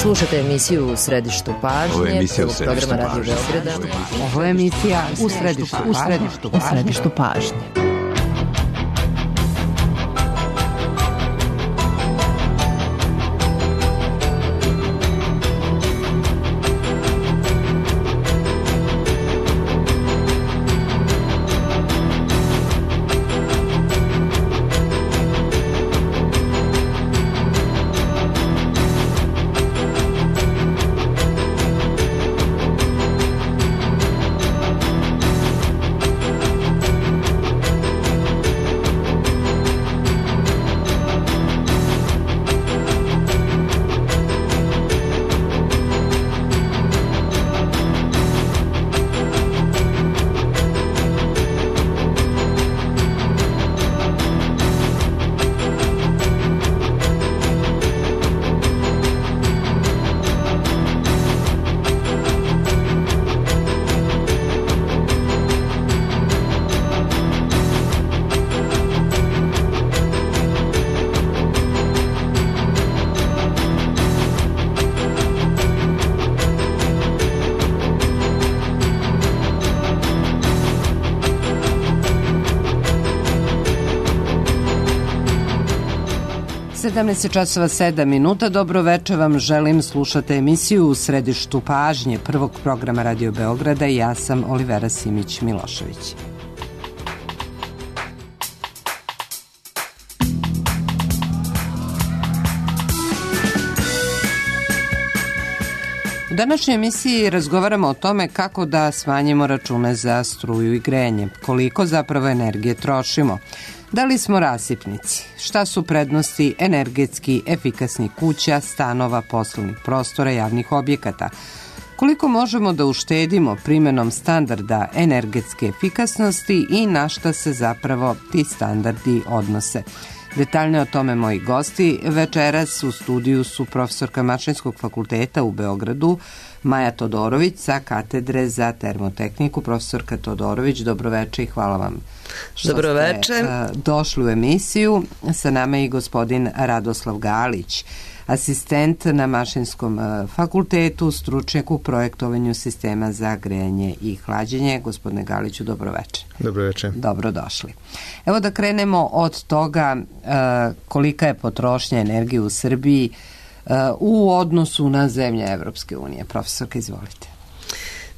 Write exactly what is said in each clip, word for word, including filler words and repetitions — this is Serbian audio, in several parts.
Slušate emisiju U središtu pažnje, prvog programa Radio Beograda. Ovo je emisija U središtu pažnje. U središtu pažnje. sedamnaest časova sedam minuta. Dobro večer vam želim. Slušate emisiju U središtu pažnje prvog programa Radio Beograda i ja sam Olivera Simić-Milošević. U današnjoj emisiji razgovaramo o tome kako da smanjimo račune za struju i grejanje, koliko zapravo energije trošimo. Da li smo rasipnici? Šta su prednosti energetski efikasnih kuća, stanova, poslovnih prostora, javnih objekata? Koliko možemo da uštedimo primjenom standarda energetske efikasnosti i na šta se zapravo ti standardi odnose? Detaljno o tome moji gosti. Večeras u studiju su profesorka Mašinskog fakulteta u Beogradu, Maja Todorović sa katedre za termotehniku. Profesorka Todorović, dobroveče i hvala vam što dobroveče. ste uh, došli u emisiju. Sa nama je i gospodin Radoslav Galić, asistent na Mašinskom uh, fakultetu, stručnjak u projektovanju sistema za grejanje i hlađenje. Gospodine Galiću, dobroveče. Dobroveče. Dobrodošli. Evo da krenemo od toga uh, kolika je potrošnja energije u Srbiji uh, u odnosu na zemlje Evropske unije. Profesorka, izvolite.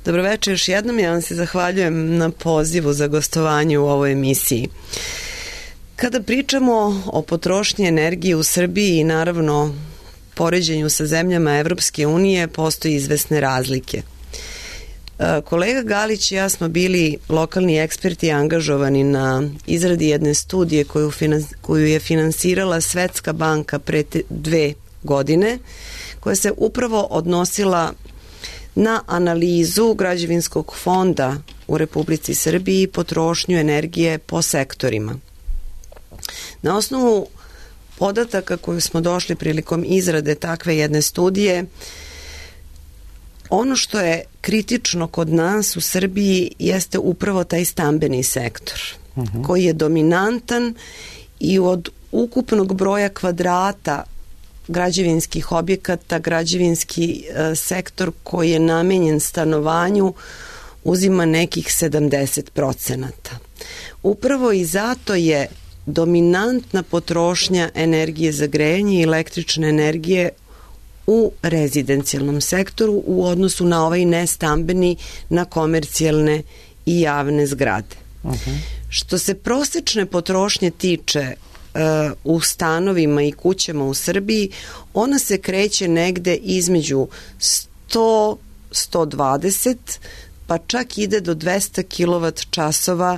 Dobroveče još jednom. Ja vam se zahvaljujem na pozivu za gostovanje u ovoj emisiji. Kada pričamo o potrošnji energije u Srbiji i naravno poređenju sa zemljama Evropske unije, postoji izvesne razlike. Kolega Galić i ja smo bili lokalni eksperti angažovani na izradi jedne studije koju, finans, koju je finansirala Svetska banka pre dve godine, koja se upravo odnosila na analizu građevinskog fonda u Republici Srbiji i potrošnju energije po sektorima. Na osnovu podataka koju smo došli prilikom izrade takve jedne studije, ono što je kritično kod nas u Srbiji jeste upravo taj stambeni sektor, uh-huh. koji je dominantan i od ukupnog broja kvadrata građevinskih objekata, građevinski e, sektor koji je namenjen stanovanju uzima nekih sedamdeset procenata. Upravo i zato je dominantna potrošnja energije za grejanje i električne energije u rezidencijalnom sektoru u odnosu na ovaj nestambeni, na komercijalne i javne zgrade. Uh-huh. Što se prosečne potrošnje tiče u stanovima i kućama u Srbiji, ona se kreće negde između sto do sto dvadeset, pa čak ide do dvesta kilovat časova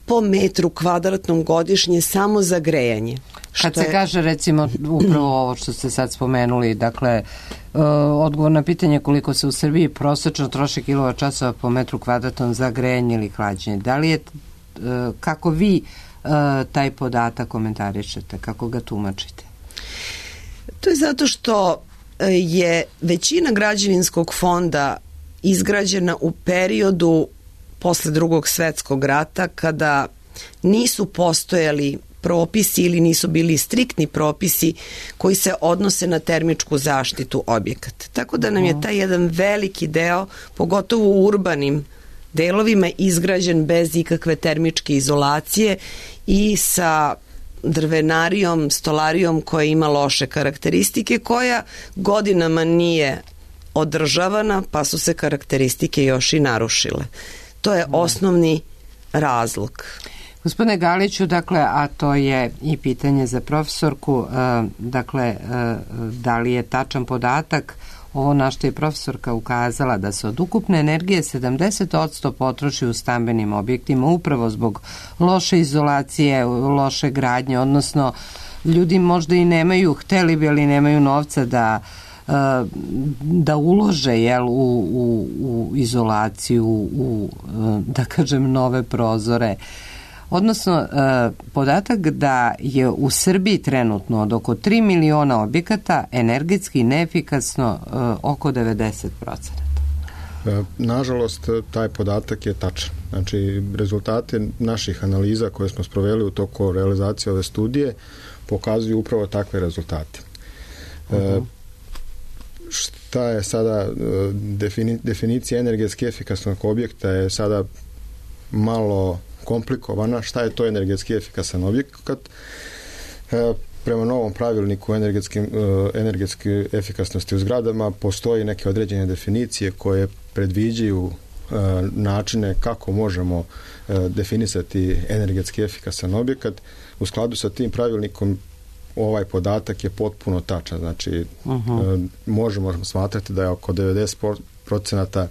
po metru kvadratnom godišnje samo za grejanje. Kad se je... kaže recimo upravo ovo što ste sad spomenuli, dakle uh, odgovor na pitanje koliko se u Srbiji prosečno troši kilovat časova po metru kvadratnom za grejanje ili hlađenje, da li je, uh, kako vi uh, taj podatak komentarišete, kako ga tumačite? To je zato što je većina građevinskog fonda izgrađena u periodu posle Drugog svetskog rata, kada nisu postojali propisi ili nisu bili striktni propisi koji se odnose na termičku zaštitu objekata. Tako da nam je taj jedan veliki deo, pogotovo u urbanim delovima, izgrađen bez ikakve termičke izolacije i sa drvenarijom, stolarijom koja ima loše karakteristike, koja godinama nije održavana, pa su se karakteristike još i narušile. To je osnovni razlog. Gospodine Galiću, dakle, a to je i pitanje za profesorku, dakle, da li je tačan podatak ovo na što je profesorka ukazala, da se od ukupne energije sedamdeset posto potroši u stambenim objektima upravo zbog loše izolacije, loše gradnje, odnosno ljudi možda i nemaju, hteli bi, ali nemaju novca da da ulože, jel, u, u, u izolaciju, u, da kažem, nove prozore. Odnosno, podatak da je u Srbiji trenutno od oko tri miliona objekata energetski neefikasno oko devedeset procenata. Nažalost, taj podatak je tačan. Znači, rezultate naših analiza koje smo sproveli u toku realizacije ove studije pokazuju upravo takve rezultate. Uh-huh. Šta je sada defini, definicija energetski efikasnog objekta je sada malo komplikovana. Šta je to energetski efikasan objekat? E, prema novom pravilniku energetskim, energetske efikasnosti u zgradama postoji neke određene definicije koje predviđaju e, načine kako možemo e, definisati energetski efikasan objekat. U skladu sa tim pravilnikom ovaj podatak je potpuno tačan. Znači, uh-huh. e, možemo smatrati da je oko devedeset procenata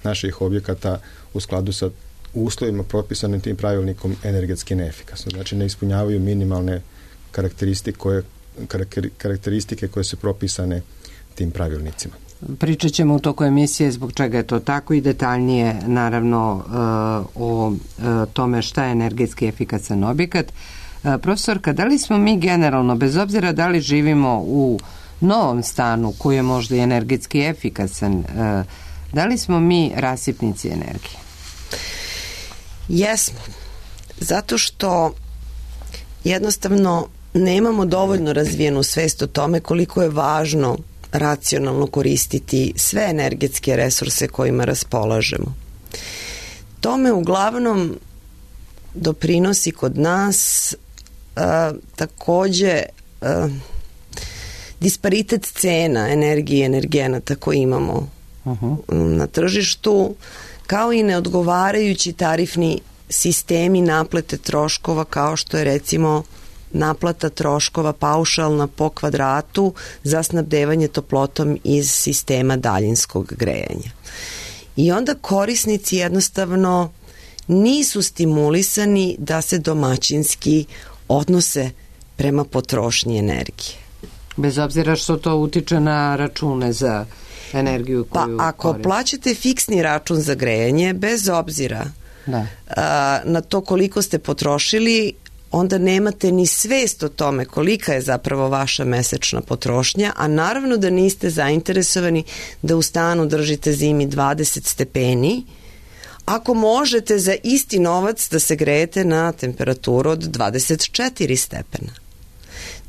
naših objekata u skladu sa uslovima propisanim tim pravilnikom energetski neefikasno. Znači, ne ispunjavaju minimalne karakteristike koje, karakteristike koje su propisane tim pravilnicima. Pričat ćemo u toku emisije zbog čega je to tako i detaljnije, naravno, o tome šta je energetski efikasan objekat. Profesorka, da li smo mi generalno, bez obzira da li živimo u novom stanu koji je možda i energetski efikasan, da li smo mi rasipnici energije? Jesmo. Zato što jednostavno nemamo dovoljno razvijenu svest o tome koliko je važno racionalno koristiti sve energetske resurse kojima raspolažemo. Tome uglavnom doprinosi kod nas a, takođe a, disparitet cena energije i energenata koje imamo uh-huh. na tržištu, kao i neodgovarajući tarifni sistemi naplate troškova, kao što je recimo naplata troškova paušalna po kvadratu za snabdevanje toplotom iz sistema daljinskog grejanja. I onda korisnici jednostavno nisu stimulisani da se domaćinski odnose prema potrošnji energije. Bez obzira što to utiče na račune za energiju koju Pa ako koriste. Plaćate fiksni račun za grejanje, bez obzira da. a, na to koliko ste potrošili, onda nemate ni svest o tome kolika je zapravo vaša mesečna potrošnja, a naravno da niste zainteresovani da u stanu držite zimi dvadeset stepeni, ako možete za isti novac da se grejete na temperaturu od dvadeset četiri stepena.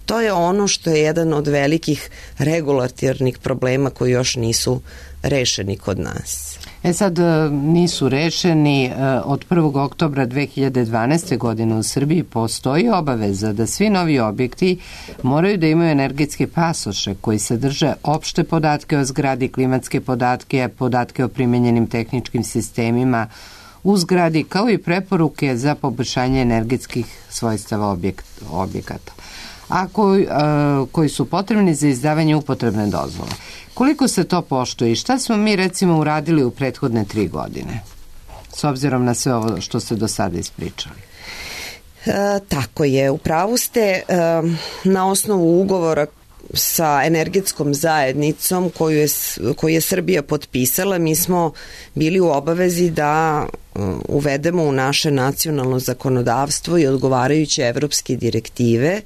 To je ono što je jedan od velikih regulatornih problema koji još nisu rešeni kod nas. E sad, nisu rešeni. Od prvog oktobra dve hiljade dvanaeste. godine u Srbiji postoji obaveza da svi novi objekti moraju da imaju energetske pasoše koji sadrže opšte podatke o zgradi, klimatske podatke, podatke o primenjenim tehničkim sistemima u zgradi, kao i preporuke za poboljšanje energetskih svojstava objekt, objekata, a koji, a, koji su potrebni za izdavanje upotrebne dozvole. Koliko se to poštuje i šta smo mi recimo uradili u prethodne tri godine, s obzirom na sve ovo što ste do sada ispričali? E, tako je, u pravu ste. E, na osnovu ugovora sa energetskom zajednicom koju je, koju je Srbija potpisala, mi smo bili u obavezi da uvedemo u naše nacionalno zakonodavstvo i odgovarajuće evropske direktive,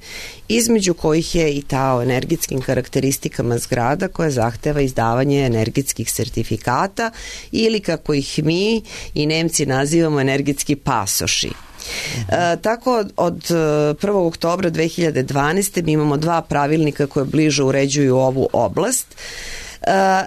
između kojih je i ta o energetskim karakteristikama zgrada koja zahteva izdavanje energetskih sertifikata ili kako ih mi i Nemci nazivamo energetski pasoši. E, tako od prvog oktobra dve hiljade dvanaeste. mi imamo dva pravilnika koje bliže uređuju ovu oblast e,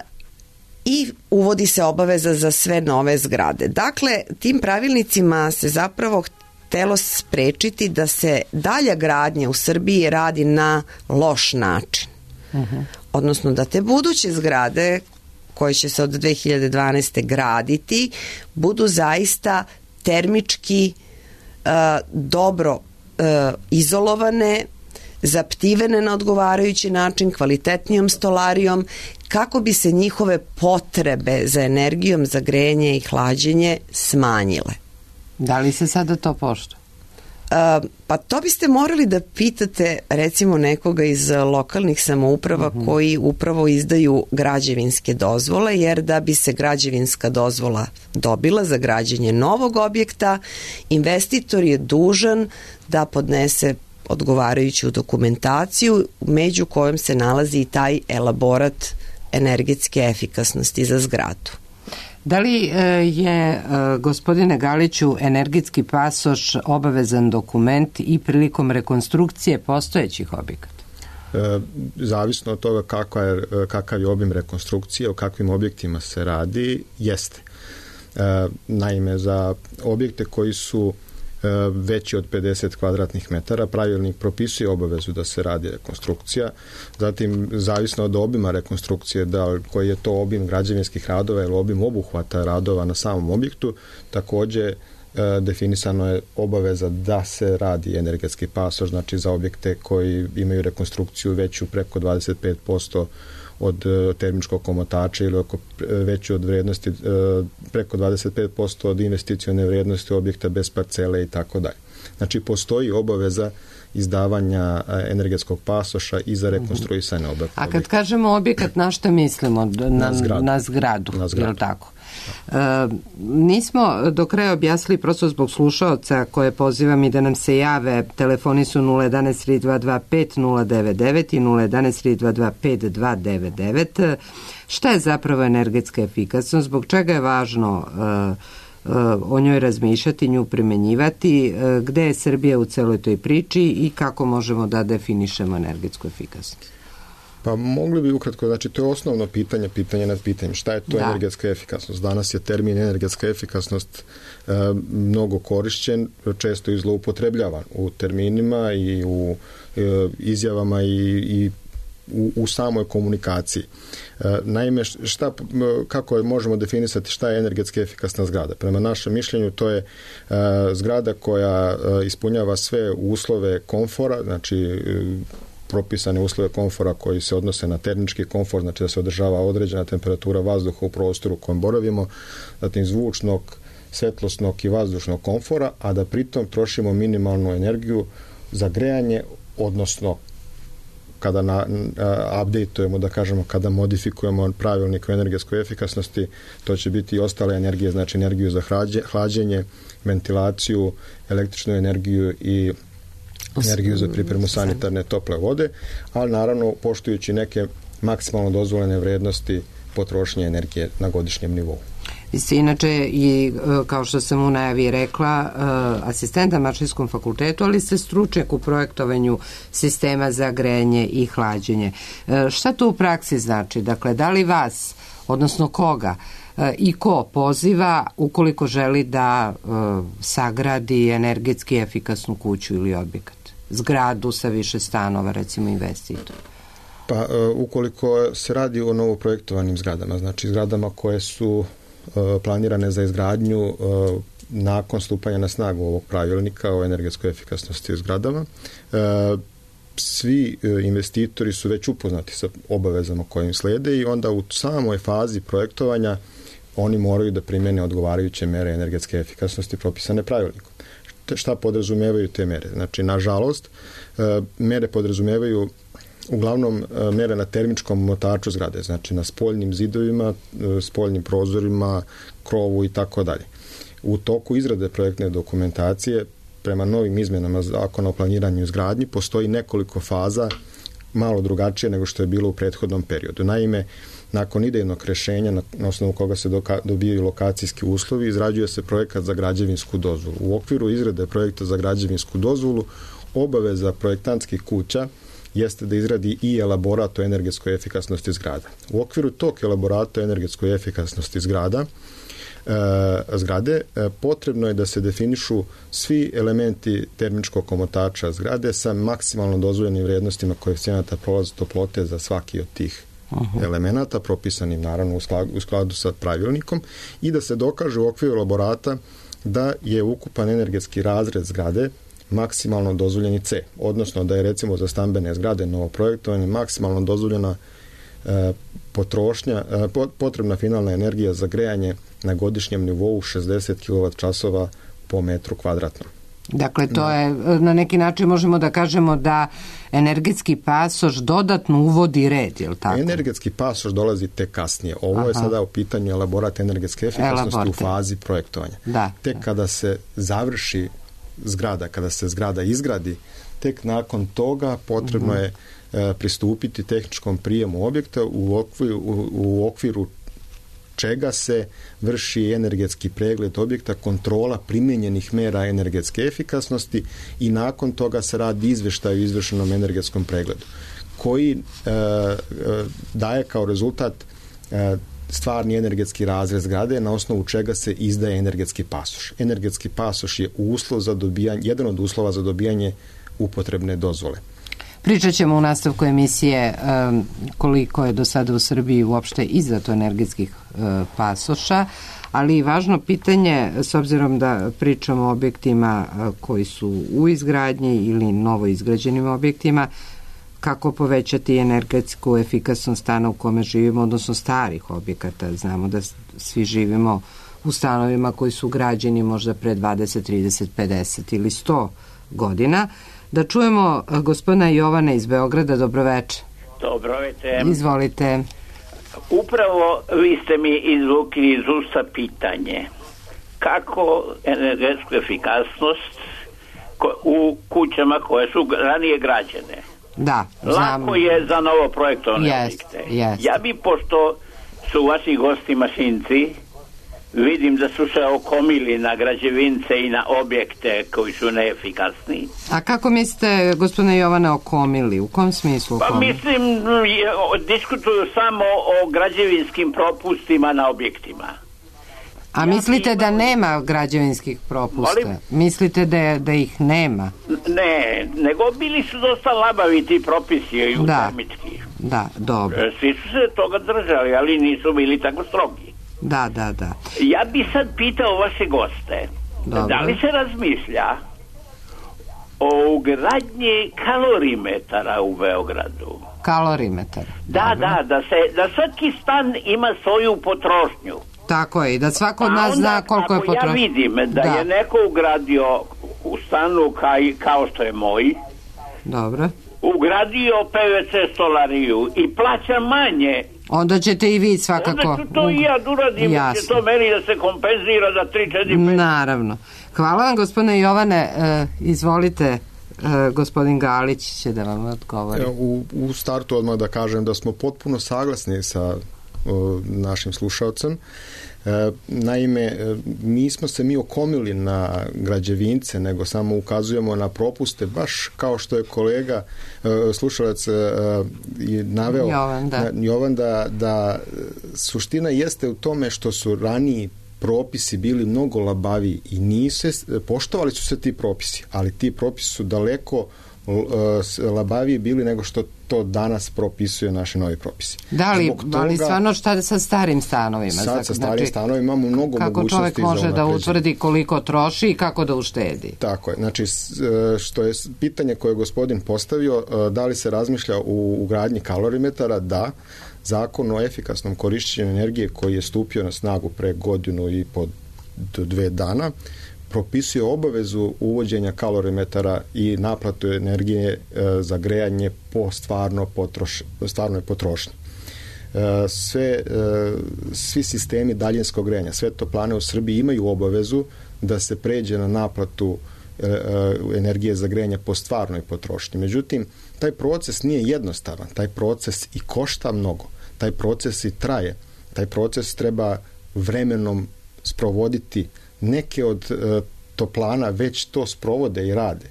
i uvodi se obaveza za sve nove zgrade. Dakle, tim pravilnicima se zapravo htelo sprečiti da se dalja gradnja u Srbiji radi na loš način. Uh-huh. Odnosno da te buduće zgrade koje će se od dve hiljade dvanaeste. graditi budu zaista termički uh, dobro uh, izolovane, zaptivene na odgovarajući način, kvalitetnijom stolarijom, kako bi se njihove potrebe za energijom, za grejanje i hlađenje smanjile. Da li se sada to poštuje? Uh, pa to biste morali da pitate recimo nekoga iz lokalnih samouprava uh-huh. koji upravo izdaju građevinske dozvole, jer da bi se građevinska dozvola dobila za građenje novog objekta, investitor je dužan da podnese odgovarajuću dokumentaciju među kojom se nalazi i taj elaborat energetske efikasnosti za zgradu. Da li je, gospodine Galiću, energetski pasoš obavezan dokument i prilikom rekonstrukcije postojećih objekata? E, zavisno od toga kakav je, kakav je obim rekonstrukcije, o kakvim objektima se radi, jeste. E, naime, za objekte koji su veći od pedeset kvadratnih metara, pravilnik propisuje obavezu da se radi rekonstrukcija. Zatim, zavisno od obima rekonstrukcije, da koji je to obim građevinskih radova ili obim obuhvata radova na samom objektu, takođe e, definisano je obaveza da se radi energetski pasoš, znači za objekte koji imaju rekonstrukciju veću preko dvadeset pet posto od termičkog komotača ili oko veću od vrednosti preko dvadeset pet posto od investicione vrednosti objekta bez parcele i tako dalje. Znači postoji obaveza izdavanja energetskog pasoša i za rekonstruisanje objekta. A kad kažemo objekat, na šta mislimo? Na, na zgradu. Na zgradu, na zgradu. Je li tako? E, nismo do kraja objasnili, prosto zbog slušaoca koje pozivam i da nam se jave. Telefoni su nula jedan tri dva dva pet nula devet devet i nula jedan tri dva dva pet dva devet devet. Šta je zapravo energetska efikasnost? Zbog čega je važno e, e, o njoj razmišljati, nju primenjivati? E, gde je Srbija u celoj toj priči i kako možemo da definišemo energetsku efikasnost? Pa mogli bi ukratko, znači to je osnovno pitanje, pitanje nad pitanjem. Šta je to da. energetska efikasnost? Danas je termin energetska efikasnost e, mnogo korišćen, često i zloupotrebljavan u terminima i u e, izjavama i, i u, u samoj komunikaciji. E, naime, šta, kako možemo definisati šta je energetski efikasna zgrada? Prema našem mišljenju to je e, zgrada koja e, ispunjava sve uslove komfora, znači e, propisane uslove komfora koji se odnose na termički komfor, znači da se održava određena temperatura vazduha u prostoru u kojem boravimo, zatim zvučnog, svetlosnog i vazdušnog komfora, a da pritom trošimo minimalnu energiju za grejanje, odnosno kada na, a, updateujemo, da kažemo, kada modifikujemo pravilnik o energetskoj efikasnosti, to će biti i ostale energije, znači energiju za hlađe, hlađenje, ventilaciju, električnu energiju i energiju za pripremu sanitarne tople vode, ali naravno poštujući neke maksimalno dozvoljene vrednosti potrošnje energije na godišnjem nivou. Vi ste inače i, kao što sam u najavi rekla, asistent na Mašinskom fakultetu, ali ste stručnjak u projektovanju sistema za grejanje i hlađenje. Šta to u praksi znači? Dakle, da li vas, odnosno koga, i ko poziva ukoliko želi da uh, sagradi energetski efikasnu kuću ili objekat? Zgradu sa više stanova, recimo investitor. Pa uh, ukoliko se radi o novoprojektovanim zgradama, znači zgradama koje su uh, planirane za izgradnju uh, nakon stupanja na snagu ovog pravilnika o energetskoj efikasnosti u zgradama, uh, svi investitori su već upoznati sa obavezama koje im slede i onda u samoj fazi projektovanja oni moraju da primene odgovarajuće mere energetske efikasnosti propisane pravilnikom. Šta podrazumevaju te mere? Znači, nažalost, mere podrazumevaju uglavnom mere na termičkom motaču zgrade, znači na spoljnim zidovima, spoljnim prozorima, krovu i tako dalje. U toku izrade projektne dokumentacije, prema novim izmenama Zakona o planiranju i izgradnji, postoji nekoliko faza malo drugačije nego što je bilo u prethodnom periodu. Naime, nakon idejnog rešenja na, na osnovu koga se doka, dobijaju lokacijski uslovi, izrađuje se projekat za građevinsku dozvolu. U okviru izrade projekta za građevinsku dozvolu obaveza projektantskih kuća jeste da izradi i elaborat o energetskoj efikasnosti zgrada. U okviru tog elaborata o energetskoj efikasnosti zgrada e, zgrade e, potrebno je da se definišu svi elementi termičkog omotača zgrade sa maksimalno dozvoljenim vrijednostima koeficijenata prolaza toplote za svaki od tih Aha. elemenata, propisanim naravno u skladu, u skladu sa pravilnikom, i da se dokaže u okviru elaborata da je ukupan energetski razred zgrade maksimalno dozvoljeni C, odnosno da je recimo za stambene zgrade novo projektovanje maksimalno dozvoljena e, potrošnja, e, potrebna finalna energija za grejanje na godišnjem nivou šezdeset kilovat časova po metru kvadratnom. Dakle, to je, na neki način možemo da kažemo da energetski pasoš dodatno uvodi red, je li tako? Energetski pasoš dolazi tek kasnije. Ovo Aha. je sada u pitanju elaborat energetske efikasnosti Elaborate. u fazi projektovanja. Da. Tek kada se završi zgrada, kada se zgrada izgradi, tek nakon toga potrebno je e, pristupiti tehničkom prijemu objekta u okviru, u, u okviru čega se vrši energetski pregled objekta, kontrola primjenjenih mera energetske efikasnosti i nakon toga se radi izveštaj o izvršenom energetskom pregledu, koji e, e, daje kao rezultat e, stvarni energetski razred zgrade na osnovu čega se izdaje energetski pasoš. Energetski pasoš je uslov za dobijanje, jedan od uslova za dobijanje upotrebne dozvole. Pričat ćemo u nastavku emisije um, koliko je do sada u Srbiji uopšte izdato energetskih uh, pasoša, ali i važno pitanje, s obzirom da pričamo o objektima uh, koji su u izgradnji ili novo izgrađenim objektima, kako povećati energetsku efikasnost stana u kome živimo, odnosno starih objekata. Znamo da svi živimo u stanovima koji su građeni možda pre dvadeset, trideset, pedeset ili sto godina. Da čujemo gospodina Jovana iz Beograda. Dobroveče. Dobroveče. Izvolite. Upravo vi ste mi izvukli iz usta pitanje kako energetsku efikasnost u kućama koje su ranije građene. Da, znam. Lako je za novo projektovane yes, objekte. Yes. Ja bi, pošto su vaši gosti mašinci, vidim da su se okomili na građevince i na objekte koji su neefikasni. A kako mislite, gospodine Jovane, okomili? U kom smislu okomili? Pa mislim, diskutuju samo o građevinskim propustima na objektima. A ja mislite da imam... nema građevinskih propusta? Molim? Mislite da, da ih nema? Ne, nego bili su dosta labavi ti propisi i da. termički. Da, dobro. Svi su se toga držali, ali nisu bili tako strogi. Da, da, da. Ja bi sad pitao vaše goste, dobro. Da li se razmišlja o ugradnji kalorimetara u Beogradu? Kalorimetar. Da, dobro. da, da, se, da svaki stan ima svoju potrošnju. Tako je, da svako od nas zna koliko je potrošnja. Ako ja vidim da, da je neko ugradio u stanu kaj, kao što je moj, dobro, ugradio P V C stolariju i plaća manje, onda ćete i vi svakako. Onda ću to i ja uradim, će to meni da se kompenzira za tri četiri pet. Naravno. Hvala vam, gospodine Jovane. E, izvolite, e, gospodin Galić će da vam odgovori. U, u startu odmah da kažem da smo potpuno saglasni sa o, našim slušalcem. E, naime, nismo se mi okomili na građevince, nego samo ukazujemo na propuste, baš kao što je kolega e, slušalac e, naveo Jovan, da, Jovan da, da suština jeste u tome što su raniji propisi bili mnogo labaviji i nisu, poštovali su se ti propisi, ali ti propisi su daleko labaviji bili nego što to danas propisuje naši novi propisi. Da li, toga, ali stvarno šta sa starim stanovima? Sad sa starim znači, stanovima imamo mnogo kako mogućnosti. Kako čovjek može da utvrdi koliko troši i kako da uštedi? Tako je. Znači, što je pitanje koje je gospodin postavio, da li se razmišlja u ugradnji kalorimetara? Da. Zakon o efikasnom korišćenju energije koji je stupio na snagu pre godinu i po do dve dana propisuje obavezu uvođenja kalorimetara i naplatu energije e, za grejanje po stvarno potroš, stvarnoj potrošnji. E, sve, e, svi sistemi daljinskog grejanja, sve toplane u Srbiji imaju obavezu da se pređe na naplatu energije za grejanje po stvarnoj potrošnji. Međutim, taj proces nije jednostavan, taj proces i košta mnogo, taj proces i traje, taj proces treba vremenom sprovoditi. Neke od toplana već to sprovode i rade.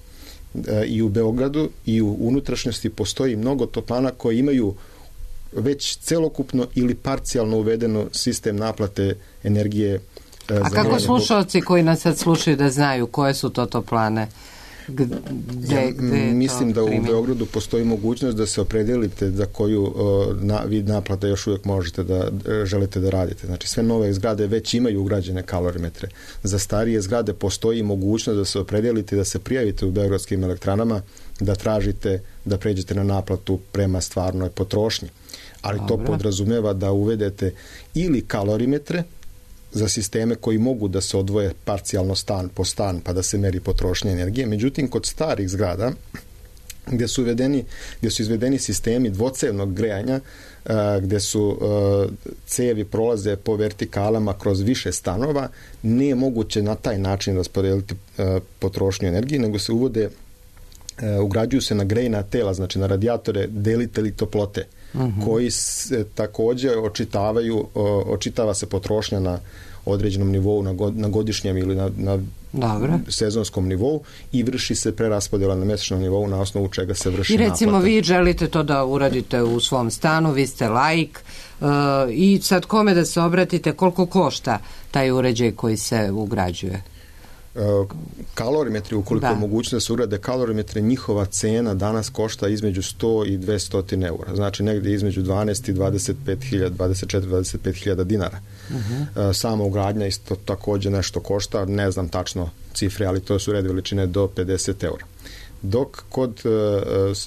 I u Beogradu i u unutrašnjosti postoji mnogo toplana koji imaju već celokupno ili parcijalno uvedeno sistem naplate energije. A kako slušalci koji nas sad slušaju da znaju koje su to toplane? Gde, ja, gde mislim da u Beogradu postoji mogućnost da se opredelite za koju uh, na, vid naplata još uvijek možete da uh, želite da radite. Znači sve nove zgrade već imaju ugrađene kalorimetre. Za starije zgrade postoji mogućnost da se opredelite, da se prijavite u beogradskim elektranama, da tražite da pređete na naplatu prema stvarnoj potrošnji. Ali Dobro. To podrazumeva da uvedete ili kalorimetre za sisteme koji mogu da se odvoje parcijalno stan po stan pa da se meri potrošnja energije. Međutim, kod starih zgrada gdje su, uvedeni, gdje su izvedeni sistemi dvocevnog grejanja, gdje su cevi prolaze po vertikalama kroz više stanova, nije moguće na taj način raspodeliti potrošnju energije, nego se uvode, ugrađuju se na grejna tela, znači na radijatore delitelji toplote, uh-huh. koji se također očitavaju, očitava se potrošnja na određenom nivou, na, god, na godišnjem ili na, na sezonskom nivou i vrši se preraspodjela na mjesečnom nivou na osnovu čega se vrši naplata. I recimo naplata. Vi želite to da uradite u svom stanu, vi ste laik uh, i sad kome da se obratite, koliko košta taj uređaj koji se ugrađuje? Kalorimetri, ukoliko je mogućno da se ugrade kalorimetre, njihova cena danas košta između sto i dvesta eura. Znači negdje između dvanaest i dvadeset pet hiljada, dvadeset četiri do dvadeset pet hiljada dinara. Uh-huh. Sama ugradnja isto također nešto košta, ne znam tačno cifre, ali to su red veličine do pedeset eura. Dok kod uh,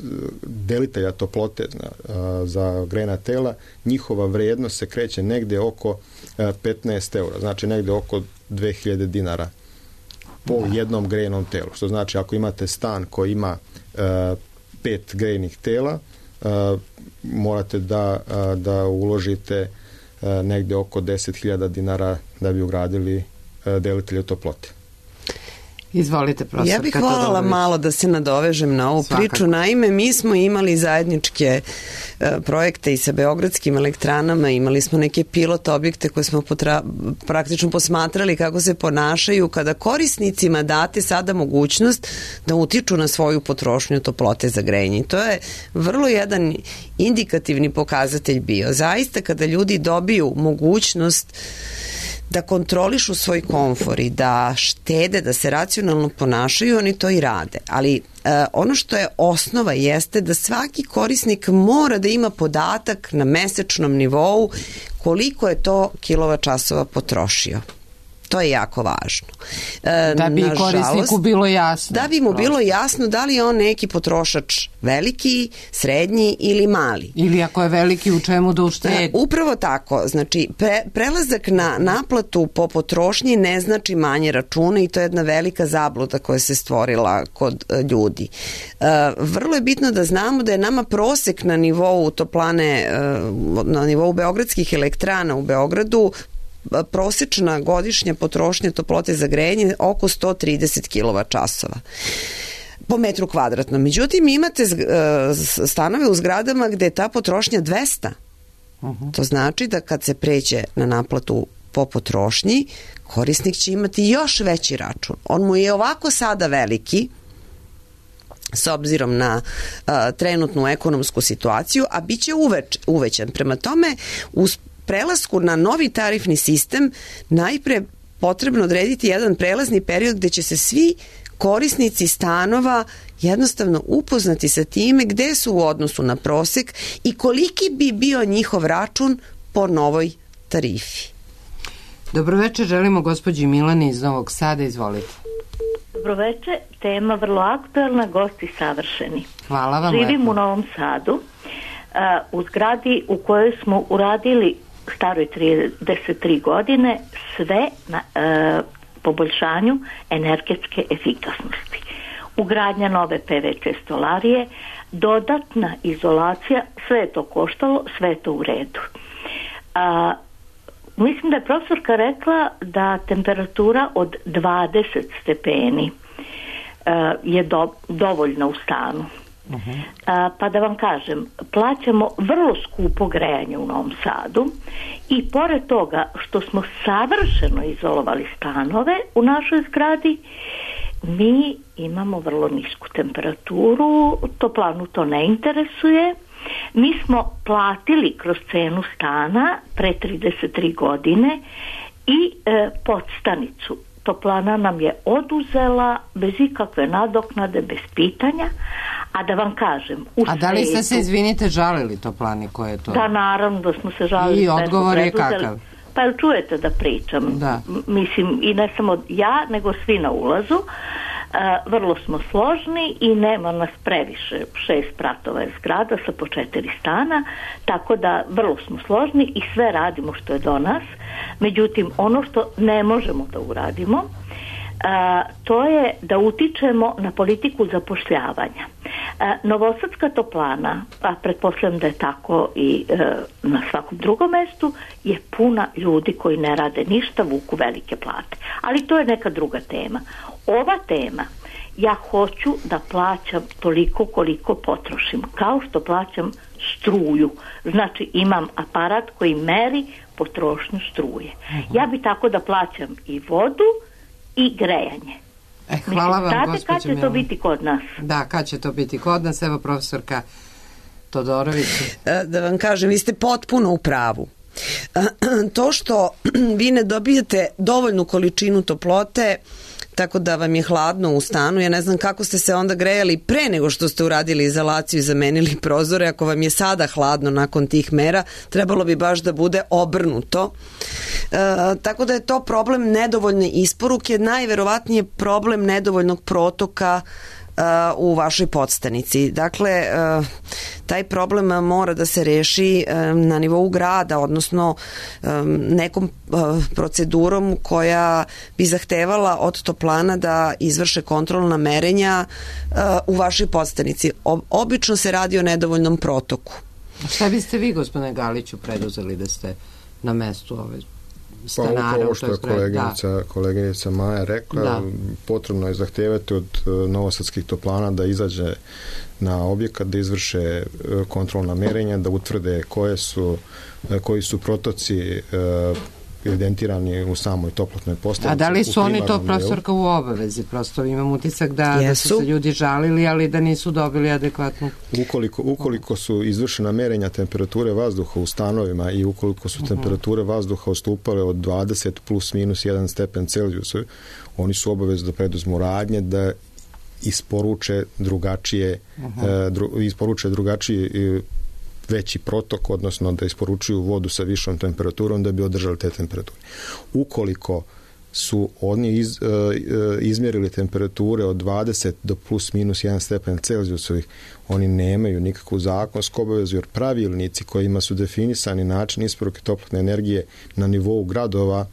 delitelja toplote uh, za grejna tela, njihova vrijednost se kreće negdje oko uh, petnaest eura, znači negdje oko dve hiljade dinara po jednom grejnom telu. Što znači, ako imate stan koji ima uh, pet grejnih tela, uh, morate da, uh, da uložite uh, negdje oko deset hiljada dinara da bi ugradili uh, delitelje toplote. Izvolite, profesor. Ja bih voljela malo da se nadovežem na ovu Svakako. priču. Naime, mi smo imali zajedničke uh, projekte i sa beogradskim elektranama, imali smo neke pilot objekte koje smo potra- praktično posmatrali kako se ponašaju kada korisnicima date sada mogućnost da utiču na svoju potrošnju toplote za grejanje. To je vrlo jedan indikativni pokazatelj bio. Zaista kada ljudi dobiju mogućnost da kontrolišu svoj komfor i da štede, da se racionalno ponašaju, oni to i rade. Ali e, ono što je osnova jeste da svaki korisnik mora da ima podatak na mesečnom nivou koliko je to kilovat časova potrošio. To je jako važno. E, da bi nažalost, korisniku bilo jasno. Da bi mu bilo jasno da li je on neki potrošač veliki, srednji ili mali. Ili ako je veliki, u čemu da uštedi. E, upravo tako. Znači, pre, prelazak na naplatu po potrošnji ne znači manje računa i to je jedna velika zabluda koja se stvorila kod e, ljudi. E, vrlo je bitno da znamo da je nama prosek na nivou toplane, e, na nivou beogradskih elektrana u Beogradu prosječna godišnja potrošnja toplote za grejanje oko sto trideset kilovat časova po metru kvadratnom. Međutim, imate stanove u zgradama gde je ta potrošnja dvesta. Uh-huh. To znači da kad se pređe na naplatu po potrošnji, korisnik će imati još veći račun. On mu je ovako sada veliki, s obzirom na uh, trenutnu ekonomsku situaciju, a bit će uveč, uvećan. Prema tome, uz prelasku na novi tarifni sistem najpre potrebno odrediti jedan prelazni period gde će se svi korisnici stanova jednostavno upoznati sa time gde su u odnosu na prosek i koliki bi bio njihov račun po novoj tarifi. Dobroveče, želimo gospođi Milani iz Novog Sada, izvolite. Dobroveče, tema vrlo aktuelna, gosti savršeni. Hvala vam. Živim lepo. u Novom Sadu, uh, u zgradi u kojoj smo uradili staroj trideset tri godine sve na e, poboljšanju energetske efikasnosti. Ugradnja nove pe ve ce stolarije, dodatna izolacija, sve je to koštalo, sve je to u redu. A, mislim da je profesorka rekla da temperatura od dvadeset stepeni je do, dovoljna u stanu. Uh-huh. A, pa da vam kažem, plaćamo vrlo skupo grejanje u Novom Sadu i pored toga što smo savršeno izolovali stanove u našoj zgradi, mi imamo vrlo nisku temperaturu, toplanu to ne interesuje. Mi smo platili kroz cenu stana pre trideset tri godine i e, podstanicu. Toplana nam je oduzela bez ikakve nadoknade, bez pitanja. A da vam kažem... U A da li ste se, izvinite, žalili Toplani koje je to? Da, naravno da smo se žalili. I odgovor je kakav? Pa jel čujete da pričam? Da. Mislim, i ne samo ja, nego svi na ulazu. Uh, vrlo smo složni i nema nas previše, šest spratova je zgrada sa po četiri stana, tako da vrlo smo složni i sve radimo što je do nas. Međutim, ono što ne možemo da uradimo, uh, to je da utičemo na politiku zapošljavanja. Uh, Novosadska toplana, a pretpostavljam da je tako i uh, na svakom drugom mestu, je puna ljudi koji ne rade ništa, vuku velike plate. Ali to je neka druga tema. Ova tema, ja hoću da plaćam toliko koliko potrošim, kao što plaćam struju. Znači imam aparat koji meri potrošnju struje. Uh-huh. Ja bi tako da plaćam i vodu i grejanje. E, hvala vam, znate kad će to biti kod nas? Da, kad će to biti kod nas? Evo profesorka Todorović. Da vam kažem, vi ste potpuno u pravu. To što vi ne dobijete dovoljnu količinu toplote, tako da vam je hladno u stanu, ja ne znam kako ste se onda grejali pre nego što ste uradili izolaciju i zamenili prozore. Ako vam je sada hladno nakon tih mera, trebalo bi baš da bude obrnuto. E, tako da je to problem nedovoljne isporuke, najverovatnije problem nedovoljnog protoka u vašoj podstanici. Dakle, taj problem mora da se reši na nivou grada, odnosno nekom procedurom koja bi zahtevala od toplana da izvrše kontrolna merenja u vašoj podstanici. Obično se radi o nedovoljnom protoku. Šta biste vi, gospodine Galiću, preduzeli da ste na mestu ove stanara? Pa ovo što je koleginica, da. koleginica Maja rekla, da. Potrebno je zahtevati od novosadskih toplana da izađe na objekat, da izvrše kontrolna merenja, da utvrde koje su, koji su protoci evidentirani u samoj toplotnoj postanici. A da li su oni to, profesorka, u obavezi? Prosto imam utisak da, da su se ljudi žalili, ali da nisu dobili adekvatnu... Ukoliko, ukoliko su izvršena merenja temperature vazduha u stanovima i ukoliko su uh-huh. temperature vazduha odstupale od dvadeset plus minus jedan stepen Celzijusa, oni su obavezni da preduzmu radnje da isporuče drugačije uh-huh. uh, dru, isporuče drugačije veći protok, odnosno da isporučuju vodu sa višom temperaturom da bi održali te temperature. Ukoliko su oni iz, uh, izmjerili temperature od dvadeset do plus minus jedan stepen Celzijusovih, oni nemaju nikakvu zakonsku obavezu, jer pravilnici kojima su definisani način isporuke toplotne energije na nivou gradova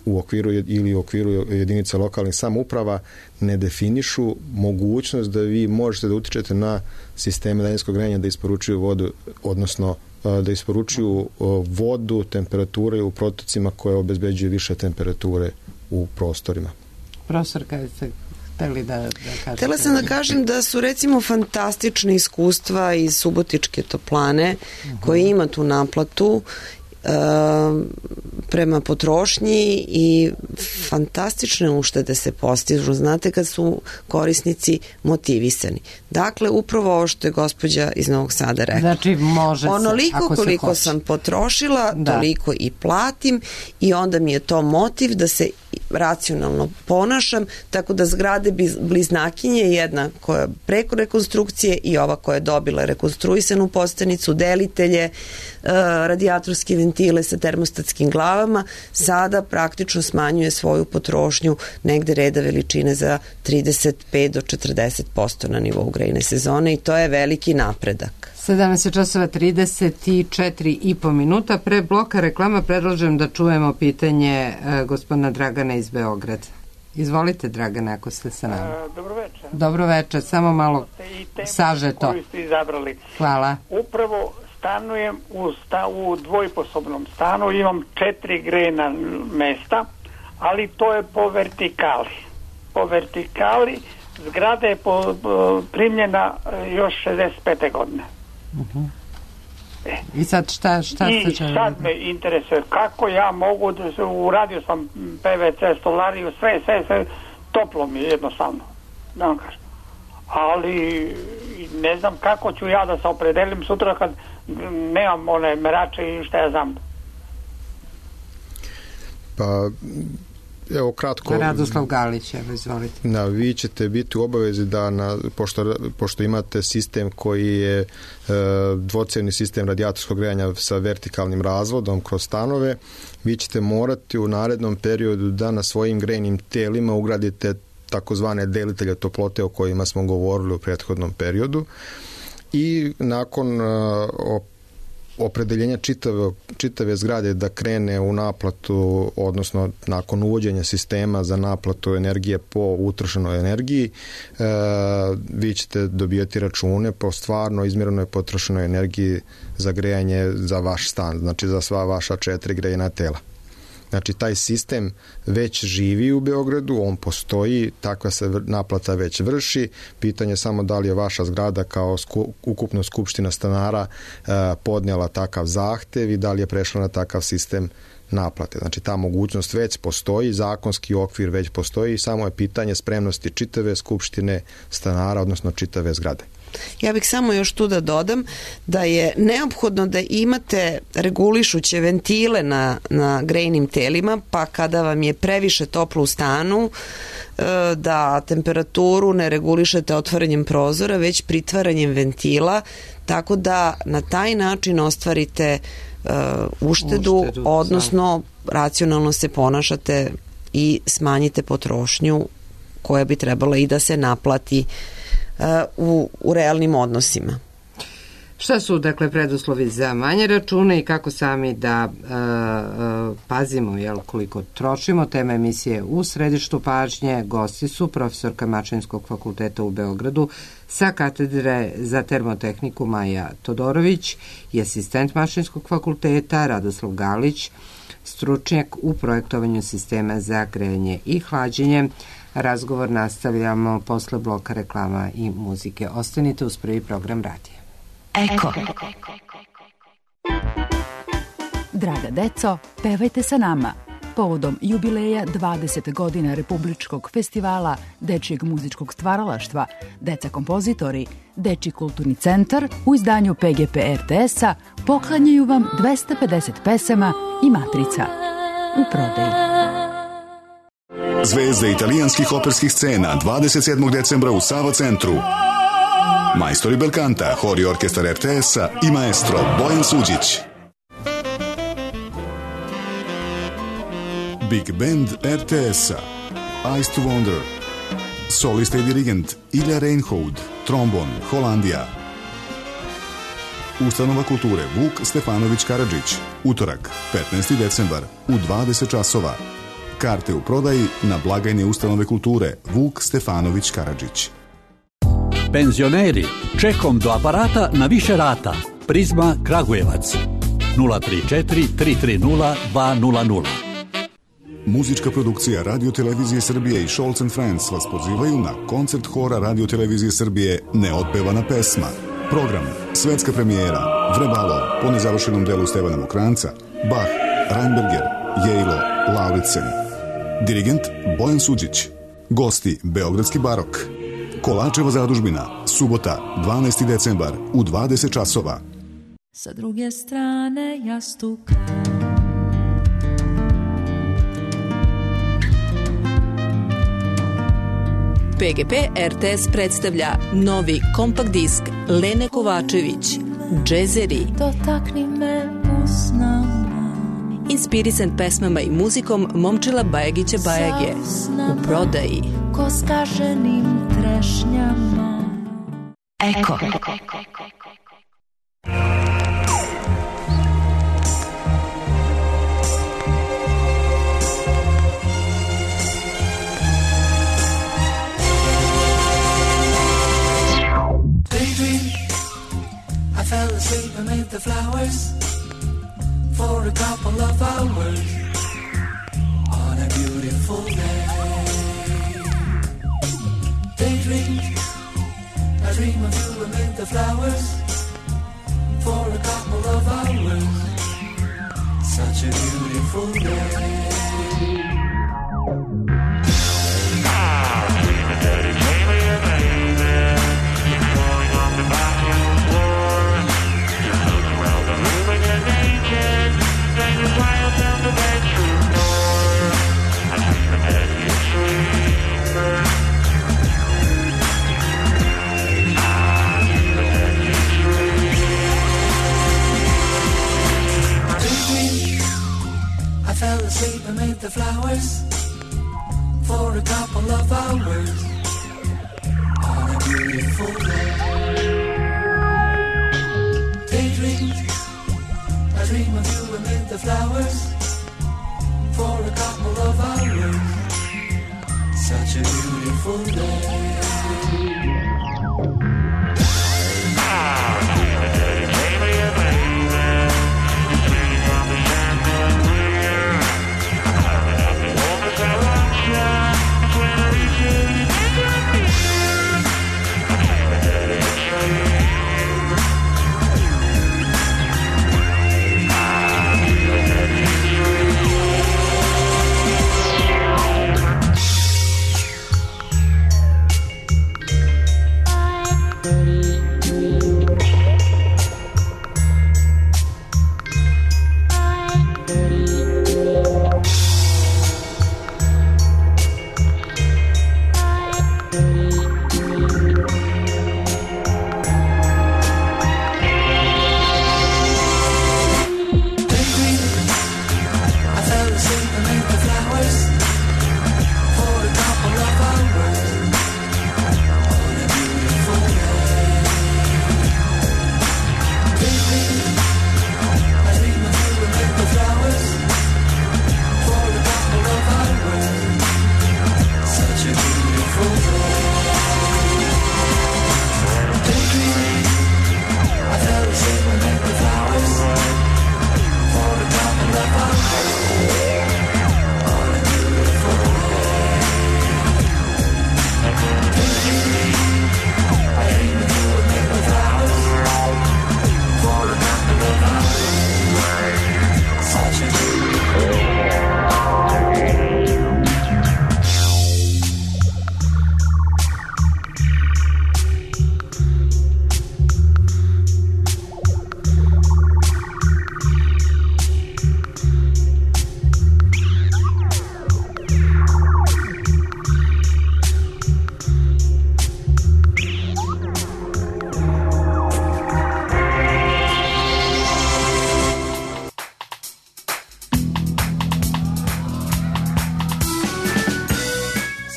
u okviru ili u okviru jedinica lokalnih samouprava ne definišu mogućnost da vi možete da utičete na sisteme daljinskog grejanja da isporučuju vodu, odnosno da isporučuju vodu, temperature u protocima koje obezbeđuju više temperature u prostorima. Profesor, kada ste hteli da, da kažete? Htela sam da kažem da su recimo fantastične iskustva iz Subotičke toplane uh-huh. koje ima tu naplatu Uh, prema potrošnji i fantastične uštede se postižu, znate, kad su korisnici motivisani. Dakle, upravo ovo što je gospođa iz Novog Sada rekla. Znači, može se, onoliko ako se koliko hoće. sam potrošila, da. Toliko i platim i onda mi je to motiv da se racionalno ponašam, tako da zgrade bliznakinje, jedna koja preko rekonstrukcije i ova koja je dobila rekonstruisanu postanicu, delitelje, radijatorske ventile sa termostatskim glavama, sada praktično smanjuje svoju potrošnju negde reda veličine za trideset pet do četrdeset posto na nivou grejne sezone i to je veliki napredak. sedamnaest časova trideset četiri i po minuta. Pre bloka reklama predlažem da čujemo pitanje uh, gospodina Dragana iz Beograda. Izvolite, Dragane, ako ste sa nama. Uh, dobro večer. Dobro večer, samo malo sažeto. Koju ste izabrali. Hvala. Upravo stanujem u, sta, u dvojposobnom stanu, imam četiri grejna mesta, ali to je po vertikali. Po vertikali zgrada je po, po, primljena još šezdeset pete godine. Uh-huh. E. I sad šta, šta I se želi? sad me interesuje kako ja mogu da se, uradio sam P V C, stolariju, sve, sve, sve, toplo mi je jednostavno, da vam kažem. Ali ne znam kako ću ja da se opredelim sutra kad nemam one merače i šta ja znam. Pa, evo kratko... Radoslav Galić, evo izvolite. Da, vi ćete biti u obavezi da, na, pošto, pošto imate sistem koji je e, dvocevni sistem radijatorskog grejanja sa vertikalnim razvodom kroz stanove, vi ćete morati u narednom periodu da na svojim grejnim telima ugradite takozvane delitelje toplote o kojima smo govorili u prethodnom periodu i nakon uh, opredeljenja čitave, čitave zgrade da krene u naplatu, odnosno nakon uvođenja sistema za naplatu energije po utrošenoj energiji, e, vi ćete dobijati račune po stvarno izmjerenoj potrošenoj energiji za grejanje za vaš stan, znači za sva vaša četiri grejna tela. Znači, taj sistem već živi u Beogradu, on postoji, takva se naplata već vrši. Pitanje je samo da li je vaša zgrada kao sku, ukupno skupština stanara e, podnijela takav zahtev i da li je prešla na takav sistem naplate. Znači, ta mogućnost već postoji, zakonski okvir već postoji i samo je pitanje spremnosti čitave skupštine stanara, odnosno čitave zgrade. Ja bih samo još tu da dodam da je neophodno da imate regulišuće ventile na, na grejnim telima, pa kada vam je previše toplo u stanu, da temperaturu ne regulišete otvaranjem prozora, već pritvaranjem ventila, tako da na taj način ostvarite uh, uštedu, uštedu, odnosno racionalno se ponašate i smanjite potrošnju koja bi trebala i da se naplati U, u realnim odnosima. Šta su, dakle, preduslovi za manje račune i kako sami da uh, uh, pazimo, jel, koliko trošimo? Tema emisije U središtu pažnje. Gosti su profesorka Mašinskog fakulteta u Beogradu sa katedre za termotehniku Maja Todorović i asistent Mašinskog fakulteta Radoslav Galić, stručnjak u projektovanju sistema za grejanje i hlađenje. Razgovor nastavljamo posle bloka reklama i muzike. Ostanite uz prvi program radija. Eko. Draga deco, pevajte sa nama. Povodom jubileja dvadeset godina Republičkog festivala dečijeg muzičkog stvaralaštva, Deca kompozitori, Dečiji kulturni centar u izdanju P G P R T S-a poklanjaju vam dvesta pedeset pesama i matrica u prodaji. Zvezde italijanskih operskih scena dvadeset sedmog decembra u Sava centru. Majstori belkanta, hor i orkestar R T S-a i maestro Bojan Suđić. Big Band R T S-a, Eyes to Wonder. Solista i dirigent Ilja Reinhold, trombon, Holandija. Ustanova kulture Vuk Stefanović Karadžić, utorak, petnaesti decembar, u dvadeset časova. Karte u prodaji na blagajne ustanove kulture Vuk Stefanović Karadžić. Penzioneri, čekom do aparata na više rata. Prizma Kragujevac. nula tri četiri tri tri nula dva nula nula. Muzička produkcija Radio Televizije Srbije i Scholz and Friends vas pozivaju na koncert hora Radio Televizije Srbije Neotpevana pesma. Program, svetska premijera, Vrebalo, po nezavršenom delu Stevana Mokranca, Bach, Reinberger, Jejlo, Lauritsen. Dirigent Bojan Suđić. Gosti Beogradski barok. Kolačeva zadužbina, subota, dvanaesti decembar, u dvadeset časova. Sa druge strane jastuka. P G P R T S predstavlja novi kompakt disk Lene Kovačević, Džezeri. Dotakni me usnama. Inspirisan pesmama i muzikom Momčila Bajagića Bajage. U prodaji. Ko skaženim trešnjama. Eko. I fell asleep amid the flowers for a couple of hours on a beautiful day. Daydream, I dream of you amid the flowers for a couple of hours. Such a beautiful day. I fell asleep amid the flowers for a couple of hours on a beautiful day. Daydream, I dream of you amid the flowers for a couple of hours. Such a beautiful day.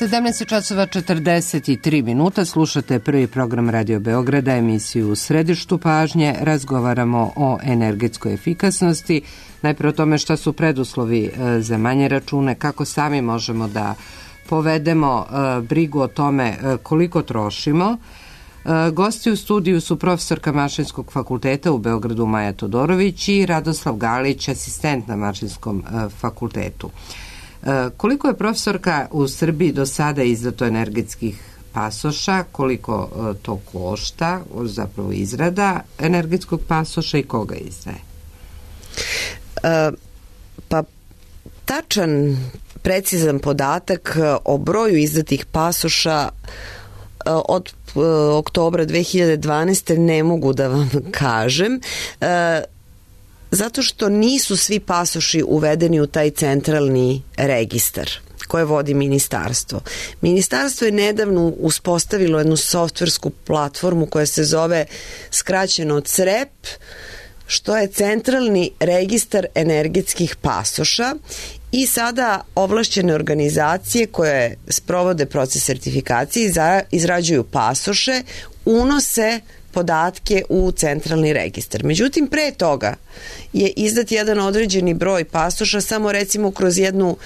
sedamnaest časova četrdeset tri minuta, slušate prvi program Radio Beograda, emisiju U središtu pažnje. Razgovaramo o energetskoj efikasnosti, najprije o tome šta su preduslovi za manje račune, kako sami možemo da povedemo brigu o tome koliko trošimo. Gosti u studiju su profesorka Mašinskog fakulteta u Beogradu Maja Todorović i Radoslav Galić, asistent na Mašinskom fakultetu. Koliko je, profesorka, u Srbiji do sada izdato energetskih pasoša, koliko to košta, zapravo izrada energetskog pasoša i koga izdaje? E, pa tačan, precizan podatak o broju izdatih pasoša od oktobra dve hiljade dvanaeste. ne mogu da vam kažem, e, zato što nisu svi pasoši uvedeni u taj centralni registar koje vodi ministarstvo. Ministarstvo je nedavno uspostavilo jednu softversku platformu koja se zove skraćeno C R E P, što je centralni registar energetskih pasoša, i sada ovlašćene organizacije koje sprovode proces sertifikacije i izrađuju pasoše unose podatke u centralni registar. Međutim, pre toga je izdat jedan određeni broj pasoša, samo recimo kroz jednu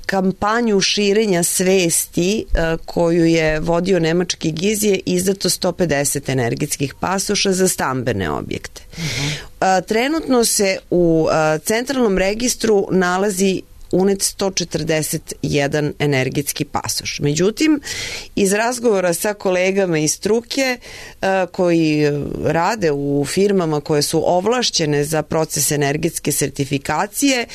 kampanju širenja svesti koju je vodio nemački giz je izdato sto pedeset energetskih pasoša za stambene objekte. Uh-huh. Trenutno se u centralnom registru nalazi unet sto četrdeset jedan energetski pasoš. Međutim, iz razgovora sa kolegama iz struke koji rade u firmama koje su ovlašćene za proces energetske sertifikacije,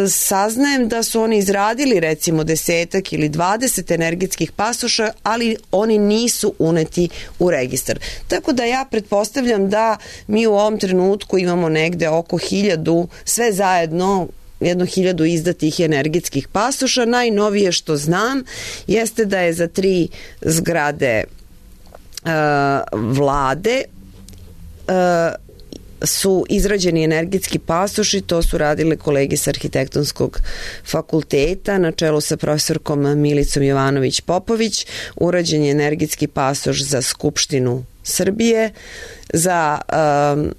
saznajem da su oni izradili recimo desetak ili dvadeset energetskih pasoša, ali oni nisu uneti u registar. Tako da ja pretpostavljam da mi u ovom trenutku imamo negde oko hiljadu, sve zajedno jedno hiljadu izdatih energetskih pasoša. Najnovije što znam jeste da je za tri zgrade uh, vlade uh, su izrađeni energetski pasoši, to su radile kolege sa Arhitektonskog fakulteta na čelu sa profesorkom Milicom Jovanović-Popović. Urađen je energetski pasoš za Skupštinu Srbije, za um,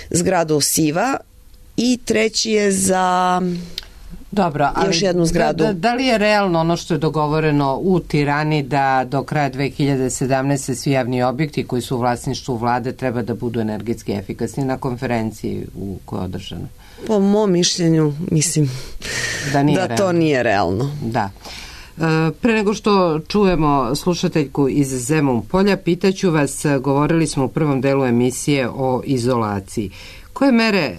zgradu Siva i treći je za Dobro, ali još jednu zgradu. Da, da li je realno ono što je dogovoreno u Tirani da do kraja dve hiljade sedamnaeste. svi javni objekti koji su u vlasništvu vlade treba da budu energetski efikasni na konferenciji u kojoj je održano? Po mom mišljenju, mislim da, da to nije realno. Da. Pre nego što čujemo slušateljku iz Zemun Polja, pitaću vas, govorili smo u prvom delu emisije o izolaciji. Koje mere,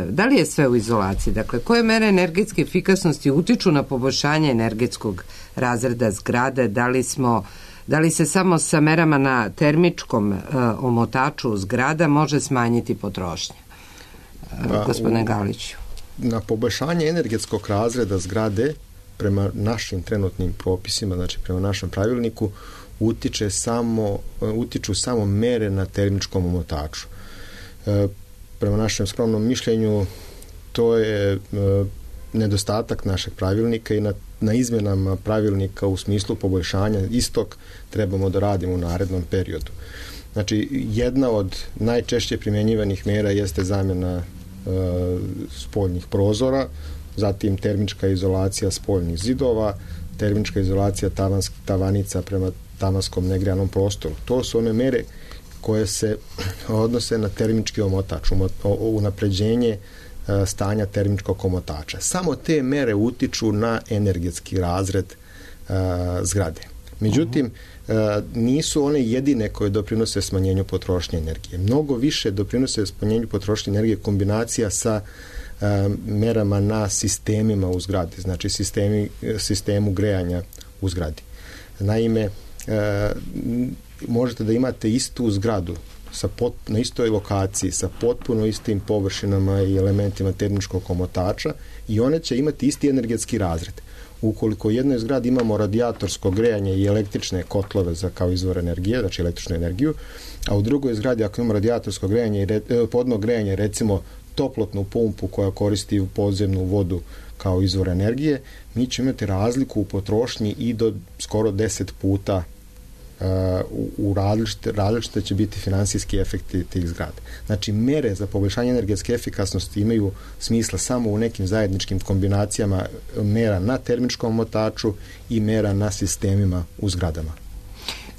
da li je sve u izolaciji, dakle, koje mere energetske efikasnosti utiču na poboljšanje energetskog razreda zgrade, da li smo, da li se samo sa merama na termičkom omotaču zgrada može smanjiti potrošnja? Pa, gospodine Galiću. Na poboljšanje energetskog razreda zgrade prema našim trenutnim propisima, znači prema našem pravilniku, utiče samo, utiču samo mere na termičkom omotaču. E, prema našem skromnom mišljenju to je e, nedostatak našeg pravilnika i na, na izmenama pravilnika u smislu poboljšanja istog trebamo da radimo u narednom periodu. Znači, jedna od najčešće primjenjivanih mera jeste zamjena e, spoljnih prozora, zatim termička izolacija spoljnih zidova, termička izolacija tavans, tavanica prema tavanskom negrejanom prostoru. To su one mere koje se odnose na termički omotač, unapređenje stanja termičkog omotača. Samo te mere utiču na energetski razred uh, zgrade. Međutim, uh, nisu one jedine koje doprinose smanjenju potrošnje energije. Mnogo više doprinose smanjenju potrošnje energije kombinacija sa uh, merama na sistemima u zgradi, znači sistemi, sistemu grejanja u zgradi. Naime, uh, možete da imate istu zgradu sa pot, na istoj lokaciji sa potpuno istim površinama i elementima termičkog omotača i one će imati isti energetski razred. Ukoliko u jednoj zgradi imamo radijatorsko grejanje i električne kotlove za kao izvor energije, znači električnu energiju, a u drugoj zgradi ako imamo radijatorsko grejanje i re, podno grejanje, recimo toplotnu pumpu koja koristi podzemnu vodu kao izvor energije, mi ćemo imati razliku u potrošnji i do skoro deset puta. U, u različite, različite će biti finansijski efekti tih zgrada. Znači, mere za poboljšanje energetske efikasnosti imaju smisla samo u nekim zajedničkim kombinacijama mera na termičkom omotaču i mera na sistemima u zgradama.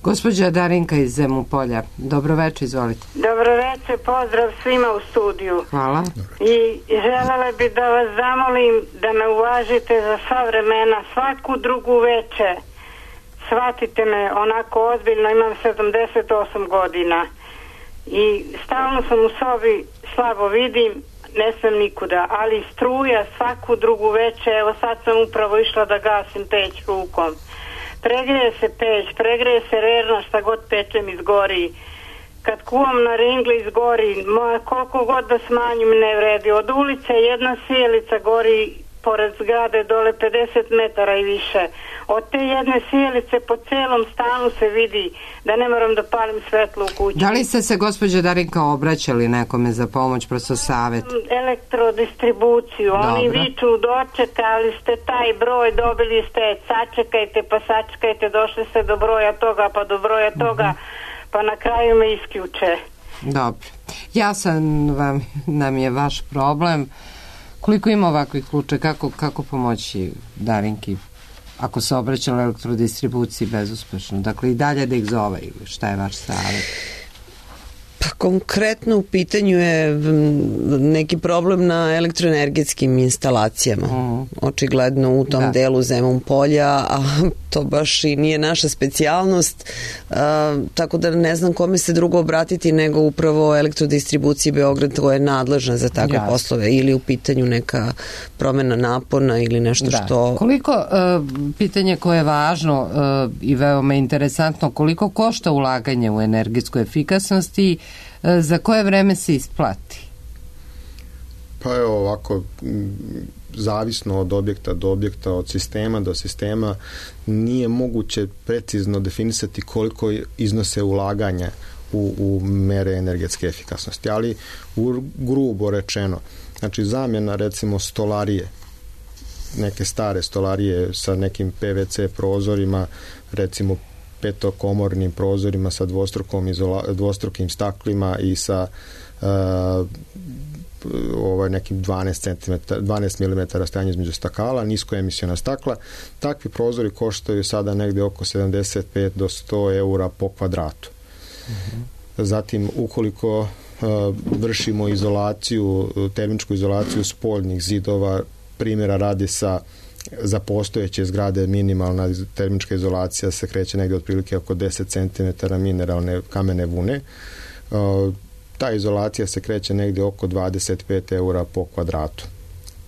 Gospođa Darinka iz Zemun Polja, dobro večer, izvolite. Dobro večer, pozdrav svima u studiju. Hvala. I želela bi da vas zamolim da me uvažite za sva vremena, svaku drugu večer. Shvatite me onako ozbiljno, imam sedamdeset osam godina i stalno sam u sobi, slabo vidim, ne sam nikuda, ali struja svaku drugu večer, evo sad sam upravo išla da gasim peć rukom. Pregreje se peć, pregreje se rerna, šta god pečem izgori. Kad kuvam na ringli izgori, moja, koliko god da smanjim ne vredi. Od ulice jedna sjelica gori pored zgrade dole pedeset metara i više. Od te jedne sjelice po celom stanu se vidi da ne moram da palim svetlo u kući. Da li ste se, gospođa Darinka, obraćali nekome za pomoć, prosto savjet? Elektrodistribuciju. Dobro. Oni viču, dočekali ste taj broj, dobili ste, sačekajte pa sačekajte, došli ste do broja toga pa do broja toga, uh-huh. pa na kraju me isključe. Dobro. Jasan vam, nam je vaš problem. Koliko ima ovakvih slučaja, kako, kako pomoći Darinki ako se obraćala elektrodistribuciji bezuspešno? Dakle, i dalje da ih zove ili šta je vaš savjet? Pa Pa konkretno u pitanju je neki problem na elektroenergetskim instalacijama. Mm. Očigledno u tom da. delu Zemun polja, a to baš i nije naša specijalnost, a, tako da ne znam kome se drugo obratiti nego upravo Elektrodistribuciji Beograd koja je nadležna za takve Jasne. poslove, ili u pitanju neka promena napona ili nešto da. što... Koliko, uh, pitanje koje je važno uh, i veoma interesantno, koliko košta ulaganje u energetsku efikasnost i uh, za koje vreme se isplati? Pa evo ovako, zavisno od objekta do objekta, od sistema do sistema, nije moguće precizno definisati koliko iznose ulaganja u, u mere energetske efikasnosti, ali u, grubo rečeno, znači zamjena recimo stolarije, neke stare stolarije sa nekim P V C prozorima, recimo petokomornim prozorima sa dvostrukom izola, dvostrukim staklima i sa uh, ovaj nekim dvanaest centimetara, dvanaest milimetara stajanje između stakala, niskoemisiona stakla. Takvi prozori koštaju sada negde oko sedamdeset pet do sto eura po kvadratu. Mm-hmm. Zatim, ukoliko uh, vršimo izolaciju, termičku izolaciju spoljnih zidova, primjera radi sa za postojeće zgrade minimalna termička izolacija se kreće negde otprilike oko deset centimetara mineralne kamene vune. Uh, ta izolacija se kreće negde oko dvadeset pet eura po kvadratu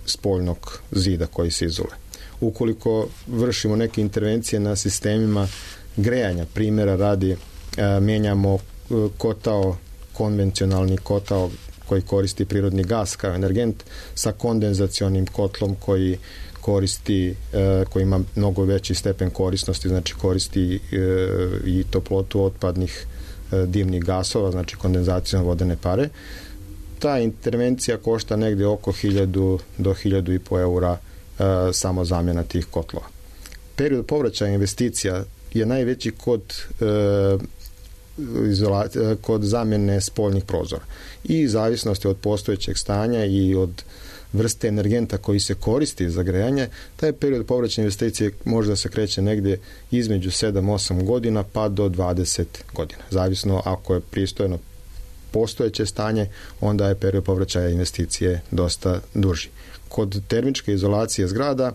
spoljnog zida koji se izole. Ukoliko vršimo neke intervencije na sistemima grejanja, primjera radi, uh, menjamo kotao, konvencionalni kotao koji koristi prirodni gas kao energent sa kondenzacionim kotlom koji koristi, e, koji ima mnogo veći stepen korisnosti, znači koristi e, i toplotu otpadnih e, dimnih gasova, znači kondenzacijom vodene pare. Ta intervencija košta negde oko hiljadu do hiljadu i po eura e, samo zamjena tih kotlova. Period povraćaja investicija je najveći kod e, Izolacija, kod zamjene spoljnih prozora. I zavisnosti od postojećeg stanja i od vrste energenta koji se koristi za grejanje, taj period povraćaja investicije može da se kreće negdje između sedam do osam godina pa do dvadeset godina. Zavisno ako je pristojno postojeće stanje, onda je period povraćaja investicije dosta duži. Kod termičke izolacije zgrada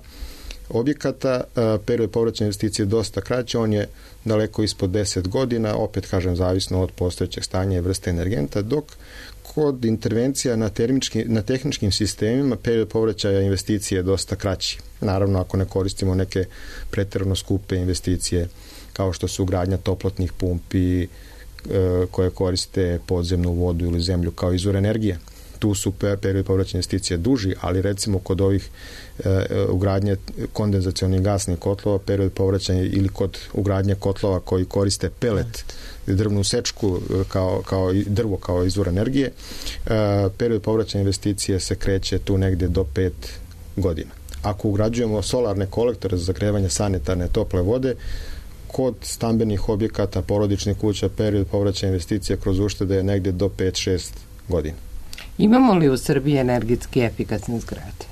objekata period povraćaja investicije je dosta kraće, on je daleko ispod deset godina, opet kažem zavisno od postojećeg stanja i vrste energenta, dok kod intervencija na, termički, na tehničkim sistemima period povraćaja investicije je dosta kraći. Naravno, ako ne koristimo neke pretjerano skupe investicije kao što su ugradnja toplotnih pumpi e, koje koriste podzemnu vodu ili zemlju kao izvor energije. Tu su period povraćaja investicije duži, ali recimo kod ovih e, ugradnje kondenzacionih gasnih kotlova, period povraćaja ili kod ugradnje kotlova koji koriste pelet, drvnu sečku kao, kao drvo kao izvor energije, e, period povraćaja investicije se kreće tu negdje do pet godina. Ako ugrađujemo solarne kolektore za zagrevanje sanitarne tople vode, kod stambenih objekata, porodičnih kuća, period povraćaja investicije kroz uštede je negdje do pet do šest godina. Imamo li u Srbiji energetski efikasne zgrade?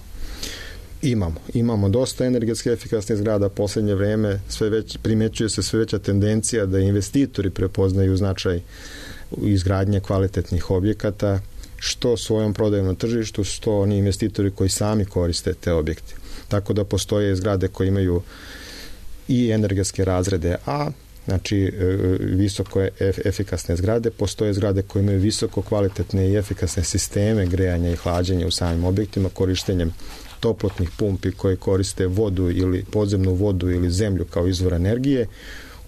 Imamo. Imamo dosta energetski efikasnih zgrada. Poslednje vreme sve već, primećuje se sve veća tendencija da investitori prepoznaju značaj izgradnje kvalitetnih objekata, što svojom prodajom na tržištu, što oni investitori koji sami koriste te objekte. Tako da postoje zgrade koje imaju i energetske razrede A, znači visoko efikasne zgrade, postoje zgrade koje imaju visoko kvalitetne i efikasne sisteme grejanja i hlađenja u samim objektima korištenjem toplotnih pumpi koje koriste vodu ili podzemnu vodu ili zemlju kao izvor energije,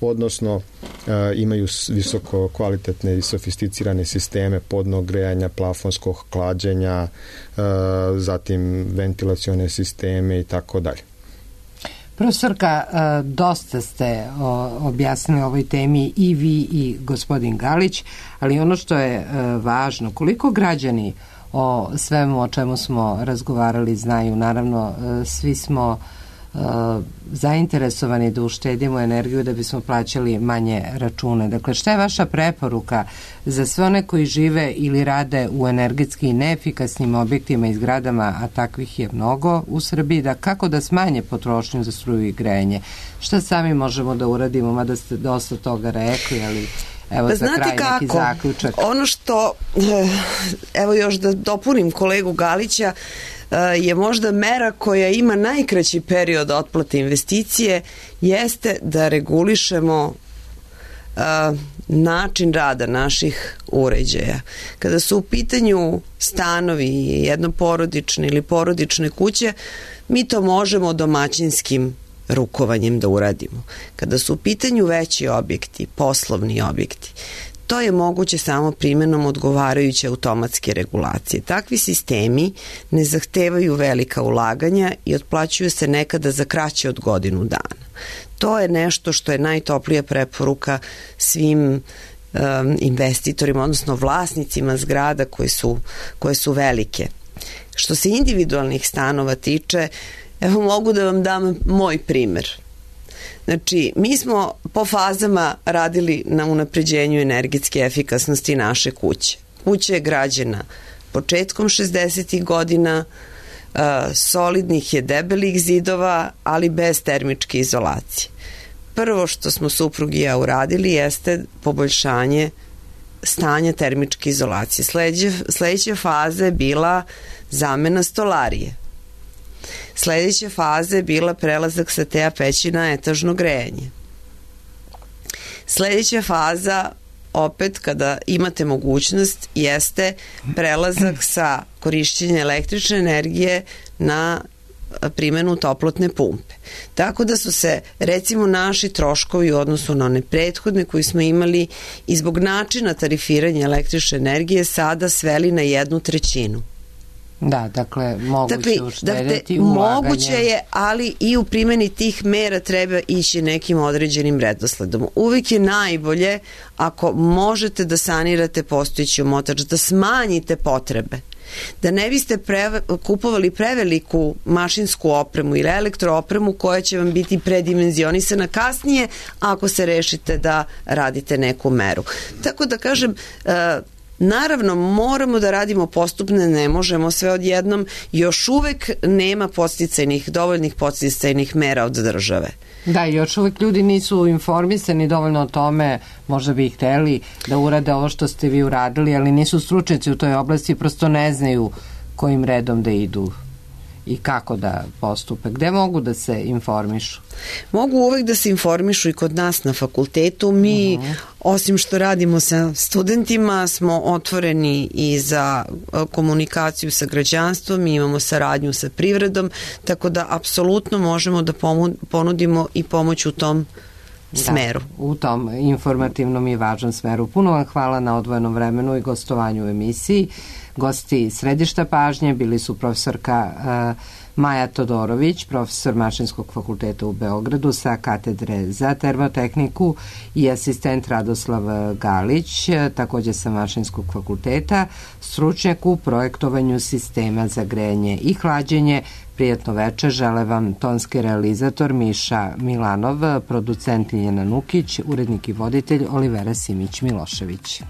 odnosno e, imaju visoko kvalitetne i sofisticirane sisteme podnog grejanja, plafonskog hlađenja, e, zatim ventilacione sisteme i tako dalje. Profesorka, dosta ste objasnili o ovoj temi i vi i gospodin Galić, ali ono što je važno, koliko građani o svemu o čemu smo razgovarali znaju, naravno svi smo zainteresovani da uštedimo energiju da bismo plaćali manje račune. Dakle, šta je vaša preporuka za sve one koji žive ili rade u energetski neefikasnim objektima i zgradama, a takvih je mnogo u Srbiji, da kako da smanje potrošnju za struju i grejanje? Šta sami možemo da uradimo, mada ste dosta toga rekli, ali Evo pa za znate kraj kako, neki zaključak. Ono što, evo još da dopunim kolegu Galića, je možda mera koja ima najkraći period otplate investicije, jeste da regulišemo uh, način rada naših uređaja. Kada su u pitanju stanovi, jednoporodične ili porodične kuće, mi to možemo domaćinskim rukovanjem da uradimo. Kada su u pitanju veći objekti, poslovni objekti, to je moguće samo primjenom odgovarajuće automatske regulacije. Takvi sistemi ne zahtevaju velika ulaganja i otplaćuju se nekada za kraće od godinu dana. To je nešto što je najtoplija preporuka svim um, investitorima, odnosno vlasnicima zgrada koje su, koje su velike. Što se individualnih stanova tiče, evo mogu da vam dam moj primer. Znači, mi smo po fazama radili na unapređenju energetske efikasnosti naše kuće. Kuća je građena početkom šezdesetih godina, uh, solidnih je debelih zidova, ali bez termičke izolacije. Prvo što smo suprug i ja uradili jeste poboljšanje stanja termičke izolacije. Sledeća, sledeća faza je bila zamena stolarije. Sledeća faza je bila prelazak sa te peći na etažno grejanje. Sledeća faza, opet kada imate mogućnost, jeste prelazak sa korišćenja električne energije na primjenu toplotne pumpe. Tako da su se, recimo, naši troškovi u odnosu na one prethodne koji smo imali i zbog načina tarifiranja električne energije sada sveli na jednu trećinu. Da, dakle, moguće dakle, uštedeti dakle, ulaganje. Moguće je, ali i u primjeni tih mera treba ići nekim određenim redosledom. Uvijek je najbolje ako možete da sanirate postojeći omotač, da smanjite potrebe. Da ne biste preve, kupovali preveliku mašinsku opremu ili elektroopremu koja će vam biti predimenzionisana kasnije ako se rešite da radite neku meru. Tako da kažem, uh, naravno, moramo da radimo postupno, ne možemo sve odjednom, još uvek nema podsticajnih, dovoljnih podsticajnih mera od države. Da, još uvek ljudi nisu informisani dovoljno o tome, možda bi ih hteli da urade ovo što ste vi uradili, ali nisu stručnjaci u toj oblasti, prosto ne znaju kojim redom da idu i kako da postupe. Gde mogu da se informišu? Mogu uvek da se informišu i kod nas na fakultetu. Mi, uh-huh. osim što radimo sa studentima, smo otvoreni i za komunikaciju sa građanstvom, mi imamo saradnju sa privredom, tako da apsolutno možemo da ponudimo i pomoć u tom smeru. Da, u tom informativnom i važnom smeru. Puno vam hvala na odvojenom vremenu i gostovanju u emisiji. Gosti središta pažnje bili su profesorka uh, Maja Todorović, profesor Mašinskog fakulteta u Beogradu sa katedre za termotehniku i asistent Radoslav Galić, takođe sa Mašinskog fakulteta, stručnjak u projektovanju sistema za grejanje i hlađenje. Prijatno večer, žele vam tonski realizator Miša Milanov, producent Ljiljana Nukić, urednik i voditelj Olivera Simić-Milošević.